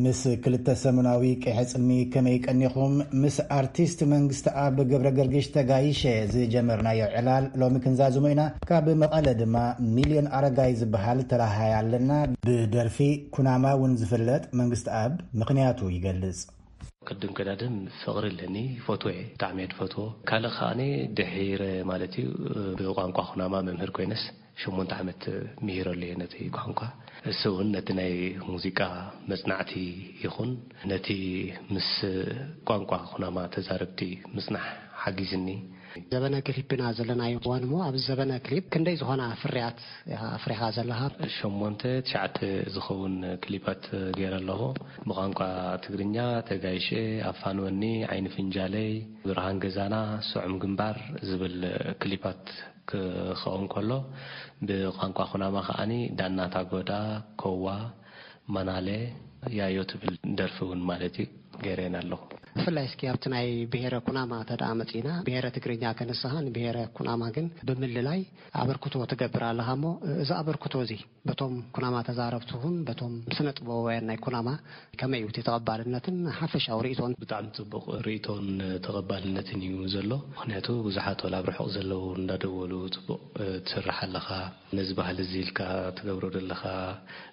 ምስ ክልተ ሰሙናዊ ቂሐ ጽልሚ ከመይ ቀኒኹም? ምስ ኣርቲስት መንግስቲ ኣብ ገብረ ገርግሽ ተጋይሸ ዝጀመርናዮ ዕላል ሎሚ ክንዛዝሞ ኢና። ካብ መቐለ ድማ ሚልዮን ኣረጋይ ዝበሃል ተላሃይ ኣለና። ብደርፊ ኩናማ እውን ዝፍለጥ መንግስቲ ኣብ ምኽንያቱ ይገልጽ። ቅድም ቀዳድም ፍቕሪ ኣለኒ፣ ይፈትዎ እየ፣ ብጣዕሚ እየ ዝፈትዎ። ካልእ ከኣኒ ድሒረ ማለት እዩ ብቋንቋ ኩናማ መምህር ኮይነስ ሸሞንተ ዓመት ምሂረሉ እየ ነቲ ቋንቋ። እሱ እውን ነቲ ናይ ሙዚቃ መጽናዕቲ ይኹን ነቲ ምስ ቋንቋ ኩናማ ተዛረብቲ ምጽናሕ ሓጊዝኒ። ዘበነ ክሊፕ ኢና ዘለናዮ እዋን እሞ፣ ኣብዚ ዘበነ ክሊፕ ክንደይ ዝኾና ፍርያት ኢኻ ኣፍሪኻ ዘለኻ? ሸሞንተ ትሽዓተ ዝኸውን ክሊፓት ገይረ ኣለኹ። ብቋንቋ ትግርኛ ተጋይሸ፣ ኣፋንወኒ፣ ዓይኒ ፍንጃለይ፣ ብርሃን ገዛና፣ ስዑም ግንባር ዝብል ክሊፓት ክኸውን ከሎ፣ ብቋንቋ ኩናማ ከኣኒ ዳና ታጎዳ፣ ኮዋ፣ ማናለ፣ ያዮ ትብል ደርፊ እውን ማለት እዩ ገይረን ኣለኹ። ብፍላይ እስኪ ኣብቲ ናይ ብሄረ ኩናማ ተደኣ መጺእና፣ ብሄረ ትግርኛ ከነሳኻ፣ ንብሄረ ኩናማ ግን ብምልላይ ኣበርክቶ ትገብር ኣለኻ እሞ፣ እዚ ኣበርክቶ እዚ በቶም ኩናማ ተዛረብቲ ይኹን በቶም ስነ ጥበባውያን ናይ ኩናማ ከመይ እዩ እቲ ተቐባልነትን ሓፈሻዊ ርእይቶን? ብጣዕሚ ጽቡቕ ርእይቶን ተቐባልነትን እዩ ዘሎ። ምኽንያቱ ብዙሓት ወላ ኣብ ርሑቕ ዘለዉ እንዳደወሉ፣ "ጽቡቕ፣ እ፣ ትሰርሕ ኣለኻ፣ ነዚ ባህሊ እዚ ኢልካ ትገብሮ ዘለኻ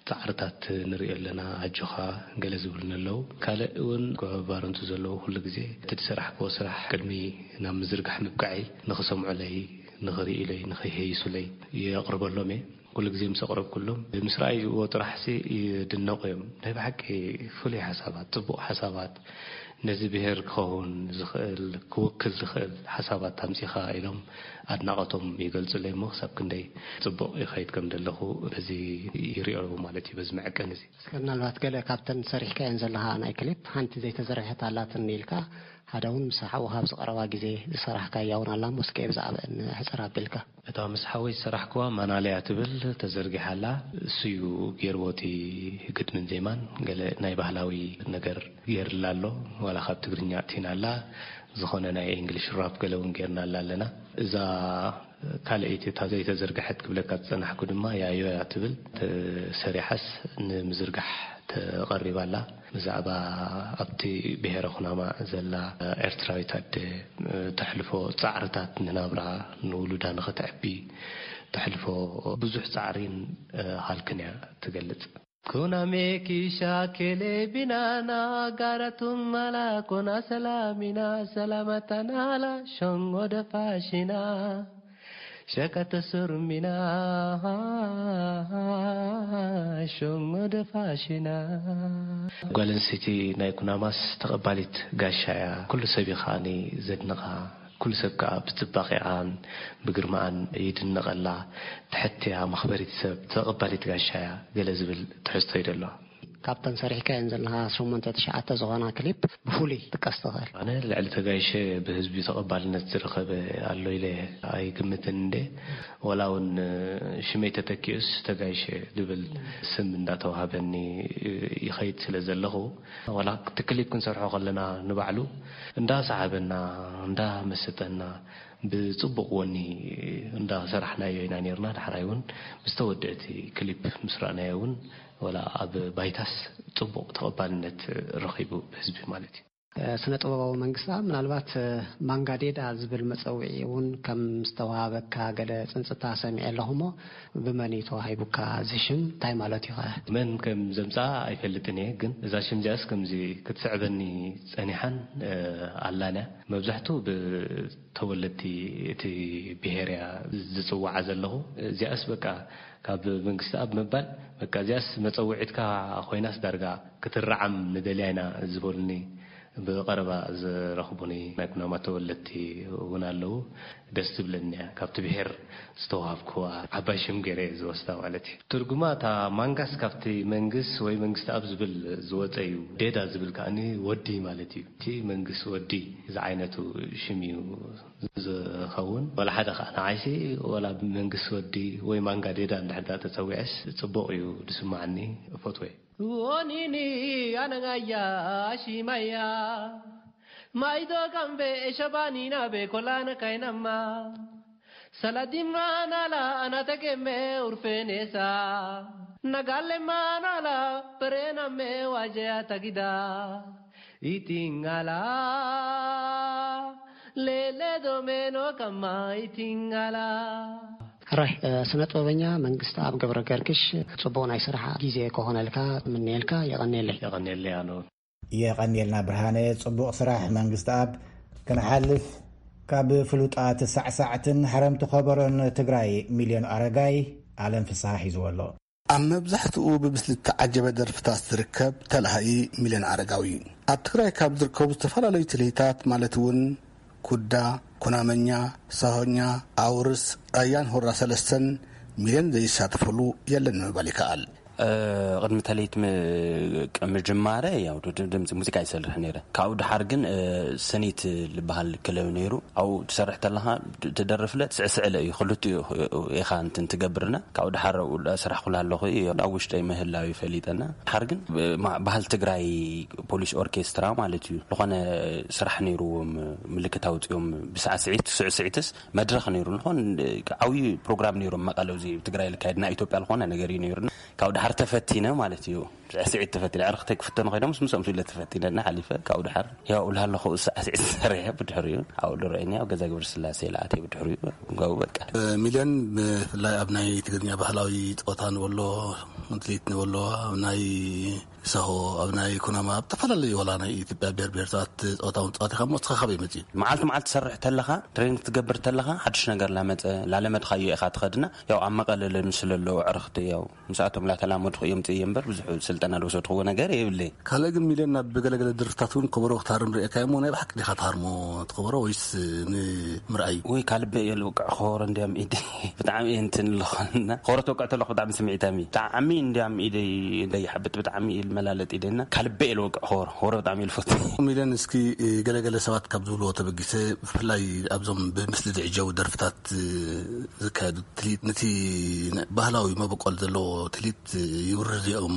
ጻዕርታት ንርእዮ ኣለና፣ ኣጆኻ" ገለ ዝብሉኒ ኣለዉ። ካልእ እውን ባረንቱ ዘለዉ ኩሉ ግዜ እቲ ዝሰራሕክዎ ስራሕ ቅድሚ ናብ ምዝርጋሕ ምብቃዐይ ንኽሰምዑለይ፣ ንኽርእዩለይ፣ ንኽይሄይሱለይ የቕርበሎም እየ። ኩሉ ግዜ ምስ ኣቕረብኩሎም፣ ምስ ረኣይዎ ጥራሕሲ ይድነቑ እዮም። ናይ ብሓቂ ፍሉይ ሓሳባት፣ ጽቡቕ ሓሳባት፣ ነዚ ብሔር ክኸውን ዝኽእል፣ ክውክል ዝኽእል ሓሳባት ኣምጺኻ ኢሎም ኣድናቖቶም ይገልጹለይ እሞ፣ ክሳብ ክንደይ ጽቡቕ ይኸይድ ከም ዘለኹ በዚ ይርእዮ ኣለኹ ማለት እዩ፣ በዚ መዐቀኒ እዚ። እስከ ምናልባት ገለ ካብተን ሰሪሕካየን ዘለኻ ናይ ክሊፕ ሓንቲ ዘይተዘርግሐት ኣላትኒ ኢልካ፣ ሓደ እውን ምስ ሓውኻ ኣብዚ ቀረባ ግዜ ዝሰራሕካያ እውን ኣላ እሞ፣ እስከ ብዛዕባኣን ሕጽር ኣቢልካ። እታ ምስ ሓወይ ዝሰራሕክዋ ማናለያ ትብል ተዘርጊሓ ኣላ። እሱ እዩ ገይርዎ እቲ ግጥምን ዜማን፣ ገለ ናይ ባህላዊ ነገር ገይርላ ኣሎ። ዋላ ካብ ትግርኛ ኣእቲና ኣላ፣ ዝኾነ ናይ እንግሊሽ ራፕ ገለ እውን ገይርናላ ኣለና። እዛ ካልኣይቲ፣ እታ ዘይተዘርግሐት ክብለካ ዝጸናሕኩ ድማ ያዮ እያ ትብል፣ ተሰሪሓስ ንምዝርጋሕ ተቐሪባ ኣላ። ብዛዕባ ኣብቲ ብሔረ ኩናማ ዘላ ኤርትራዊት ኣደ ተሕልፎ ጻዕርታት፣ ንናብራ፣ ንውሉዳ ንኽትዕቢ ተሕልፎ ብዙሕ ጻዕሪን ሃልክን እያ ትገልጽ። Kuname kisha kele binana garatun mala kona salamina salamatana la shongo da fashina shakata surmina shongo da fashina. ጓል ኣንስተይቲ ናይ ኩናማስ ተቐባሊት ጋሻ እያ። ኩሉ ሰብ እዩ ከዓኒ ዘድንቓ። ኩሉ ሰብ ከኣ ብጽባቐኣን ብግርማኣን ይድነቐላ። ትሕቲ እያ፣ መኽበሪት ሰብ፣ ተቐባሊት ጋሻ እያ፣ ገለ ዝብል ትሕዝቶ እዩ ደሎ። ካብተን ሰሪሕካየን ዘለኻ ሸሞንተ ትሽዓተ ዝኾና ክሊፕ ብፍሉይ ጥቀስ ትኽእል? ኣነ ልዕሊ ተጋይሸ ብህዝቢ ተቐባልነት ዝረኸበ ኣሎ ኢለ ኣይግምትን እንዴ። ወላ እውን ሽመይ ተተኪኡስ ተጋይሸ ዝብል ስም እንዳተዋህበኒ ይኸይድ ስለ ዘለኹ፣ ዋላ እቲ ክሊፕ ክንሰርሖ ከለና ንባዕሉ እንዳሰሓበና፣ እንዳመሰጠና፣ ብጽቡቕ ወኒ እንዳሰራሕናዮ ኢና ኔርና። ዳሕራይ እውን ምስ ተወድአ እቲ ክሊፕ ምስ ረኣናዮ እውን፣ ዋላ ኣብ ባይታስ ጽቡቕ ተቐባልነት ረኺቡ ብህዝቢ ማለት እዩ። ስነ ጥበባዊ መንግስታ፣ ምናልባት ማንጋዴዳ ዝብል መጸውዒ እውን ከም ዝተዋሃበካ ገለ ጽንጽታ ሰሚዐ ኣለኹ እሞ፣ ብመን እዩ ተዋሂቡካ? እዚ ሽም እንታይ ማለት እዩ ኸ? መን ከም ዘምጽኣ ኣይፈልጥን እየ፣ ግን እዛ ሽም እዚኣስ ከምዚ ክትስዕበኒ ጸኒሓን፣ እ፣ ኣላን እያ። መብዛሕትኡ ብተወለድቲ እቲ ብሄር እያ ዝጽውዓ ዘለኹ። እዚኣስ በቃ ካብ መንግስቲ ኣብ ምባል፣ በቃ እዚኣስ መጸውዒትካ ኮይናስ ዳርጋ ክትረዓም ንደልያ ኢና ዝበሉኒ ብቐረባ ዝረኽቡኒ ናይ ኩናማ ተወለድቲ እውን ኣለዉ። ደስ ትብለኒ እያ። ካብቲ ብሄር ዝተዋሃብክዋ ዓባይ ሽም ገይረ እየ ዝወስዳ ማለት እዩ። ትርጉማ እታ ማንጋስ ካብቲ መንግስ ወይ መንግስቲ ኣብ ዝብል ዝወፀ እዩ። ዴዳ ዝብል ከኣኒ ወዲ ማለት እዩ። እቲ መንግስ ወዲ ዝዓይነቱ ሽም እዩ ዝኸውን። ዋላ ሓደ ከዓ ንዓይሲ ዋላ መንግስ ወዲ ወይ ማንጋ ዴዳ እንድሕር ዳ ተፀዊዐስ ፅቡቕ እዩ ዝስማዓኒ፣ እፈትዎ እየ። Wonini anangaya ashimaya maido gambe eshabanina be kolana kainama saladimana la anategeme urfenesa nagalemana la perename wajea tagida itingala lele domeno kama itingala. ሕራይ፣ እ፣ ስነ ጥበበኛ መንግስቲ ኣብ ገብረ ገርግሽ፣ ጽቡቕ ናይ ስራሕ ግዜ ክኾነልካ ምንየልካ። የቐንየለይ። የቐንየለይ ኣነ እውን። የቐንየልና ብርሃነ፣ ጽቡቕ ስራሕ መንግስቲ ኣብ። ክንሓልፍ፣ ካብ ፍሉጣት ሳዕሳዕትን ሓረምቲ ከበሮን ትግራይ ሚልዮን ኣረጋይ ኣለም ፍስሃ ሒዝዎ ኣሎ። ኣብ መብዛሕትኡ ብምስሊ እተዓጀበ ደርፍታት ዝርከብ ተላሃዪ ሚልዮን ኣረጋዊ፣ ኣብ ትግራይ ካብ ዝርከቡ ዝተፈላለዩ ትልሂታት ማለት እውን ኩዳ፣ ኩናመኛ፣ ሳሆኛ፣ ኣውርስ፣ ራያን ሁራ ሰለስተን ሚልዮን ዘይሳተፈሉ የለን ንምባል ይከኣል። እ፣ ቅድሚ ተለይት ም-፣ ቅ-፣ ምጅማረ ያው ድ-፣ ድ-፣ ድምፂ ሙዚቃ ይሰርሕ ነይረ። ካብኡ ድሓር ግን፣ እ፣ ሰኒት ዝበሃል ክለብ ነይሩ። ኣብኡ ትሰርሕ ተለኻ ድ-፣ ትደርፍለ ትስዕስዕለ እዩ። ክልቲኡ ኢኻ እንትን ትገብርና። ካብኡ ድሓር ኣብኡ ስራሕ ኩላ ኣለኹ እዩ። ኣብ ውሽጠይ ምህላው ይፈሊጠና። ድሓር ግን ብ-፣ ማ-፣ ባህል ትግራይ ፖሊስ ኦርኬስትራ ማለት እዩ። ዝኾነ ስራሕ ነይርዎም፣ ምልክት ኣውፂኦም ብሳዕስዒት፣ ስዕስዒትስ መድረኽ ነይሩ። ዝኾነ ዓብዪ ፕሮግራም ነይሮም መቐለ፣ እዚ ትግራይ ልካየድ ናይ ኢትዮጵያ ዝኾነ ነገር እዩ ነይሩና። ካብኡ ድሓር ተፈቲነ ማለት እዩ። ስዕስዒት ተፈቲነ። ዕርኽተይ ክፍተኑ ከይዶም ምስ ምስኦም ስለ ተፈቲነና ሓሊፈ። ካብኡ ድሓር ያው ላሃለኹ ሳዕስዒት ሰሪሐ ብድሕሪኡ ኣብኡ ድረአኒ ኣብ ገዛ ግብረ ስላሴ ለኣተይ ብድሕሪኡ ገቡ በቃ። ሚልዮን ብፍላይ ኣብ ናይ ትግርኛ ባህላዊ ጸወታ ንበሎ፣ ምትሊት ንበሎ፣ ኣብ ናይ ሳሆ፣ ኣብ ናይ ኩናማ፣ ኣብ ዝተፈላለዩ ዋላ ናይ ኢትዮጵያ ብሔር ብሔረሰባት ጸወታ እውን ጸዋቲኻ እሞ እስኻ ካበይ መጺኡ? መዓልቲ መዓልቲ ትሰርሕ ተለኻ፣ ትሬኒንግ ትገብር ተለኻ፣ ሓድሽ ነገር ላመጸ፣ ላለመድኻዮ ኢኻ ትኸድና። ያው ኣብ መቐለ ለምስለ ኣለዉ ኣዕርኽቲ፣ ያው ምስኣቶም ላተላመድኹ እዮም ጽእየ እምበር ብዙሕ ስልጠና ዝወሰድክዎ ነገር የብለይ። ካልእ ግን ሚልዮን ናብ ገለገለ ድርፍታት እውን ከበሮ ክትሃርም ርእየካ እሞ ናይ ብሓቂ ዲኻ ትሃርሞ ትኸበሮ ወይስ ንምርኣይ? ወይ ካልበ እየ ልውቅዕ ከበሮ እንዲያም ኢደይ ብጣዕሚ እየ እንትን ኣለኹና። ከበሮ ተውቅዕ ተለኹ ብጣዕሚ ስምዒታም እየ። ብጣዕሚ እንዲያም ኢደይ እንደይሓብጥ ብጣዕሚ እየ ልመላለጥ ኢደና። ካልበ እየ ልወቅዕ ከበሮ። ከበሮ ብጣዕሚ እየ ልፈቱ። ሚልዮን እስኪ ገለገለ ሰባት ካብ ዝብልዎ ተበጊሰ ብፍላይ ኣብዞም ብምስሊ ዝዕጀቡ ደርፍታት ዝካየዱ ትልሂት ነቲ ባህላዊ መበቆል ዘለዎ ትልሂት ይውርዝ እዮም።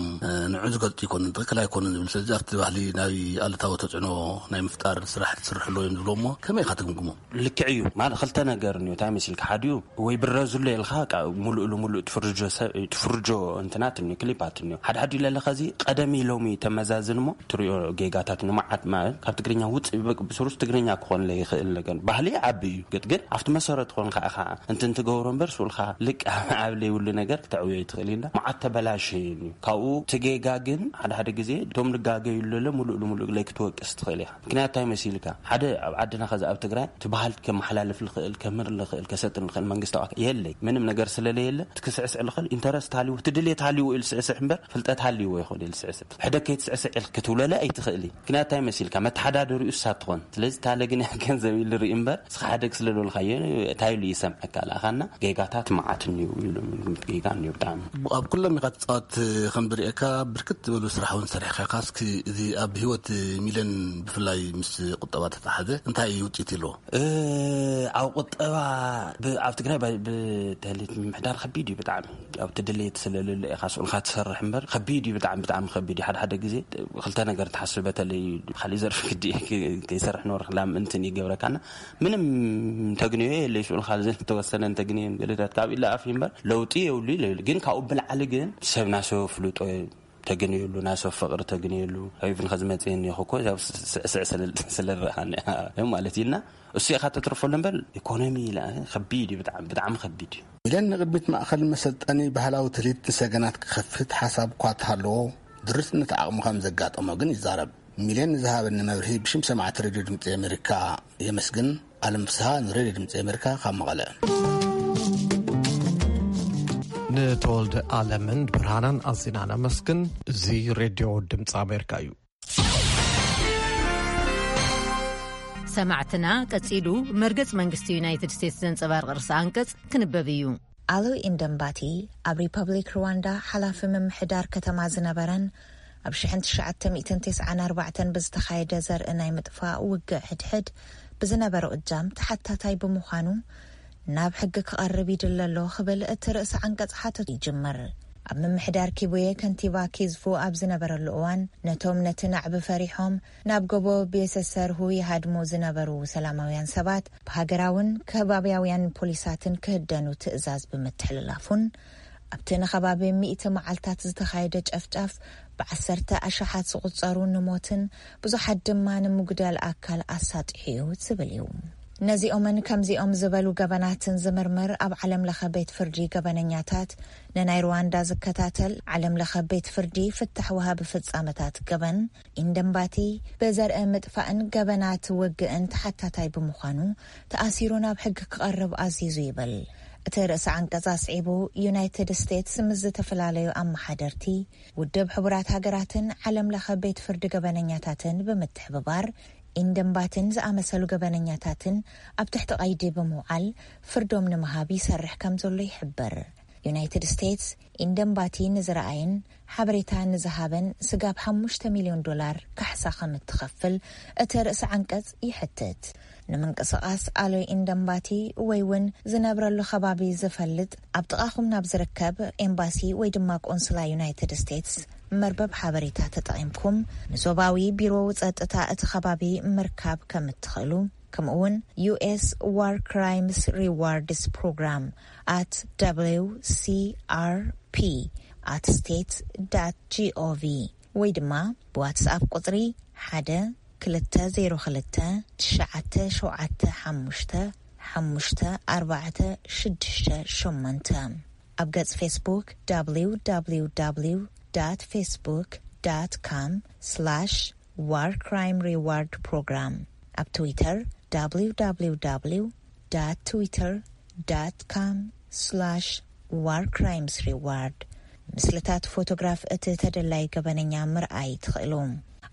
ንዑ ዝገልጹ ይኮኑን ትኽክል ኣይኮኑን ዝብል። ስለዚ ኣብቲ ባህሊ ናይ ኣሉታዊ ተጽዕኖ ናይ ምፍጣር ስራሕ ትስርሕሎ እዮም ዝብሎ እሞ ከመይ ኢኻ ትግምግሞ? ልክዕ እዩ። ማለት ክልተ ነገር እንዮ። እንታይ መሲልካ? ሓዲኡ ወይ ብረዙሎ ኢልካ ቃ-፣ ሙሉእ ልሙሉእ ትፍርጆ ሰብ-፣ ትፍርጆ እንትናት እንዮ፣ ክሊፓት እንዮ። ሓድሓዲ ኢለ ኣለኻ እዚ ቀደም ኢሎም እዩ ተመዛዝን እሞ ትሪኦ ጌጋታት ንመዓት ማለት ካብ ትግርኛ ውጽእ ብቅ-፣ ብስሩስ ትግርኛ ክኾን ለይኽእል ነገር። ባህሊ ዓቢ እዩ። ግጥ ግን ኣብቲ መሰረት ኾንካ ኢኻ እንትን ትገብሮ እምበር ስኡልካ ልቅ ኣብ ዘይብሉ ነገር ክተዕብዮ ይትኽእል ኢና። መዓት ተበላሸ እዩ። ካብኡ ትጌጋ ግን ሓደ ሓደ ግዜ እቶም ልጋገዩ ለለ ሙሉእ ልሙሉእ ለይ ክትወቅስ ትኽእል ኢኻ። ምክንያቱ እንታይ መሲልካ? ሓደ ኣብ ዓድና ከዚ ኣብ ትግራይ እቲ ባህል ከመሓላልፍ ልኽእል፣ ከምህር ልኽእል፣ ከሰጥን ልኽእል መንግስታዊ ኣካል የለይ። ምንም ነገር ስለለየለ እቲ ክስዕስዕ ልኽእል ኢንተረስት ሃልይዎ፣ እቲ ድሌት ሃልይዎ ኢሉ ስዕስዕ እምበር ፍልጠት ሃልይዎ ይኾን ኢሉ ስዕስዕ። ሕደ ከይትስዕስዕ ኢልክ ክትብለለ ኣይትኽእል። ምክንያቱ እንታይ መሲልካ? መተሓዳደሪኡ እሳ ትኾን። ስለዚ ታለ ግን ገንዘብ ኢሉ ርኢ እምበር እስኻ ሓደግ ስለ ዝበልካዮ እንታይ ኢሉ ይሰምዐካ? ለኣኻና ጌጋታት መዓት እኒው ኢሉ ግምት ጌጋ እኒው ብጣዕሚ። ኣብ ኩሎም ኢኻ ትጻወት ከም ዝርእየካ ብርክት ዝበሉ ስራሕ እውን ሰሪሕካ ኢኻ። እስኪ እዚ ኣብ ህይወት ሚልዮን ብፍላይ ምስ ቁጠባ ተተሓዘ እንታይ እዩ ውፅኢት ኢልዎ? እ፣ ኣብ ቁጠባ ብ-፣ ኣብ ትግራይ ብ-፣ ብተህሌት ምምሕዳር ከቢድ እዩ ብጣዕሚ። ኣብ ትድሌት ስለልለ ኢኻ ስኡልካ ትሰርሕ እምበር ከቢድ እዩ ብጣዕሚ፣ ብጣዕሚ ከቢድ እዩ። ሓደ ሓደ ግዜ ክልተ ነገር ትሓስብ፣ በተለይ ካሊእ ዘርፊ ክዲ ከይሰርሕ ንወርክ ላም እንትን ይገብረካና። ምንም ተግንዮ የለይ ስኡልካ ዝተወሰነ እንተግንዮ ገለታት ካብ ኢለ ኣፍ እምበር ለውጢ የብሉ ኢለ። ግን ካብኡ ብላዕሊ ግን ሰብ ናሰብ ፍልጦ ተግንየሉ፣ ናይ ሰብ ፍቕሪ ተግንየሉ፣ ሄይቭን ከዝመጽእ እኒኹ እኮ፣ ያው ስ-፣ ስ-፣ ስዕስዕ ስለ፣ ስለ ዝረኣኒ ማለት እዩ። እና እሱ ኢኻ ተትርፈሉ እምበር፣ ኢኮኖሚ ኢላ ከቢድ እዩ፣ ብጣዕሚ፣ ብጣዕሚ ከቢድ እዩ። ሚልዮን ንቕድሚት ማእኸል መሰልጠኒ ባህላዊ ትልሂት ንሰገናት ክኸፍት ሓሳብ እኳ ተሃለዎ፣ ድርትነት ዓቕሚ ከም ዘጋጠሞ ግን ይዛረብ። ሚልዮን ንዝሃበኒ መብርሂ ብሽም ሰማዕቲ ሬድዮ ድምፂ ኣሜሪካ የመስግን። ኣለም ፍስሃ ንሬድዮ ድምፂ ኣሜሪካ ካብ መቐለ። ንተወልደ ኣለምን ብርሃናን ኣዚና ነመስግን። እዚ ሬድዮ ድምፂ ኣሜሪካ እዩ። ሰማዕትና፣ ቀጺሉ መርገጽ መንግስቲ ዩናይትድ ስቴትስ ዘንጸባርቕ ርእሰ ኣንቀጽ ክንበብ እዩ። ኣሉ ኢንደምባቲ ኣብ ሪፐብሊክ ሩዋንዳ ሓላፊ ምምሕዳር ከተማ ዝነበረን ኣብ ሽሕን ትሽዓተ ሚእትን ተስዓን ኣርባዕተን ብዝተኻየደ ዘርኢ ናይ ምጥፋእ ውግእ ሕድሕድ ብዝነበሮ እጃም ተሓታታይ ብምዃኑ ናብ ሕጊ ክቐርብ ይድለ ኣሎ ክብል እቲ ርእሰ ዓንቀጽ ሓተቱ ይጅምር። ኣብ ምምሕዳር ኪቡየ ከንቲባ ኪዝፉ ኣብ ዝነበረሉ እዋን ነቶም ነቲ ናዕቢ ፈሪሖም ናብ ጎቦ ቤሰሰርሁ ይሃድሙ ዝነበሩ ሰላማውያን ሰባት ብሃገራውን ከባብያውያን ፖሊሳትን ክህደኑ ትእዛዝ ብምትሕልላፉን ኣብቲ ንኸባቢ ሚእቲ መዓልታት ዝተኻየደ ጨፍጫፍ ብዓሰርተ ኣሽሓት ዝቑጸሩ ንሞትን ብዙሓት ድማ ንምጉዳል ኣካል ኣሳጢሑ እዩ ዝብል እዩ። ነዚኦምን ከምዚኦም ዝበሉ ገበናትን ዝምርምር ኣብ ዓለም ለኸ ቤት ፍርዲ ገበነኛታት ንናይ ሩዋንዳ ዝከታተል ዓለም ለኸ ቤት ፍርዲ ፍታሕ ወሃቢ ፍጻመታት ገበን ኢንደምባቲ ብዘርኢ ምጥፋእን ገበናት ውግእን ተሓታታይ ብምዃኑ ተኣሲሩ ናብ ሕጊ ክቐርብ ኣዚዙ ይብል። እቲ ርእሰ ዓንቀጽ ኣስዒቡ ዩናይትድ ስቴትስ ምስ ዝተፈላለዩ ኣመሓደርቲ ውድብ ሕቡራት ሃገራትን ዓለም ለኸ ቤት ፍርዲ ገበነኛታትን ብምትሕብባር ኢንደምባትን ዝኣመሰሉ ገበነኛታትን ኣብ ትሕቲ ቀይዲ ብምውዓል ፍርዶም ንምሃብ ይሰርሕ ከም ዘሎ ይሕብር። ዩናይትድ ስቴትስ ኢንደምባቲ ንዝረኣየን ሓበሬታ ንዝሃበን ስጋብ ሓሙሽተ ሚልዮን ዶላር ካሕሳ ከም እትኸፍል እቲ ርእሰ ዓንቀጽ ይሕትት። ንምንቅስቓስ ኣሎይ ኢንደምባቲ ወይ እውን ዝነብረሉ ከባቢ ዝፈልጥ ኣብ ጥቓኹም ናብ ዝርከብ ኤምባሲ ወይ ድማ ቆንስላ ዩናይትድ ስቴትስ መርበብ ሓበሬታ ተጠቒምኩም ንዞባዊ ቢሮ ጸጥታ እቲ ከባቢ ምርካብ ከም እትኽእሉ፣ ከምኡ እውን ዩ ኤስ ዋር ክራይምስ ሪዋርድስ ፕሮግራም ኣት ደብሊው ሲ ኣር ፒ ኣት ስቴትስ ዳት ጂ ኦ ቪ ወይ ድማ ብዋትስኣፕ ቁጽሪ ሓደ ክልተ ዜሮ ክልተ ትሽዓተ ሸውዓተ ሓሙሽተ ሓሙሽተ ኣርባዕተ ሽዱሽተ ሸሞንተ፣ ኣብ ገጽ ፌስቡክ ደብሊው ደብሊው ደብሊው ዳት ፌስቡክ ዳት ኮም ስላሽ ዋር ክራይም ሪዋርድ ፕሮግራም፣ ኣብ ትዊተር ደብሊው ደብሊው ደብሊው ዳት ትዊተር ዳት ኮም ስላሽ ዋር ክራይምስ ሪዋርድ፣ ምስልታት ፎቶግራፍ እቲ ተደላይ ገበነኛ ምርኣይ ትኽእሉ።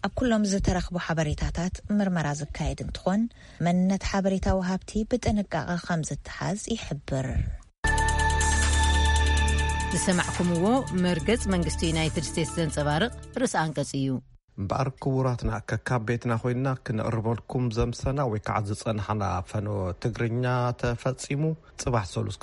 ኣብ ኩሎም ዝተረኽቡ ሓበሬታታት ምርመራ ዝካየድ እንትኾን፣ መንነት ሓበሬታ ወሃብቲ ብጥንቃቐ ከም ዝተሓዝ ይሕብር። ዝሰማዕኩምዎ መርገጽ መንግስቲ ዩናይትድ ስቴትስ ዘንጸባርቕ ርእሰ ኣንቀጽ እዩ። እምበኣር ክቡራትና፣ ከካብ ቤትና ኮይንና ክነቕርበልኩም ዘምሰና ወይ ከዓ ዝጸናሕና ፈኖ ትግርኛ ተፈጺሙ። ጽባሕ ሰሉስ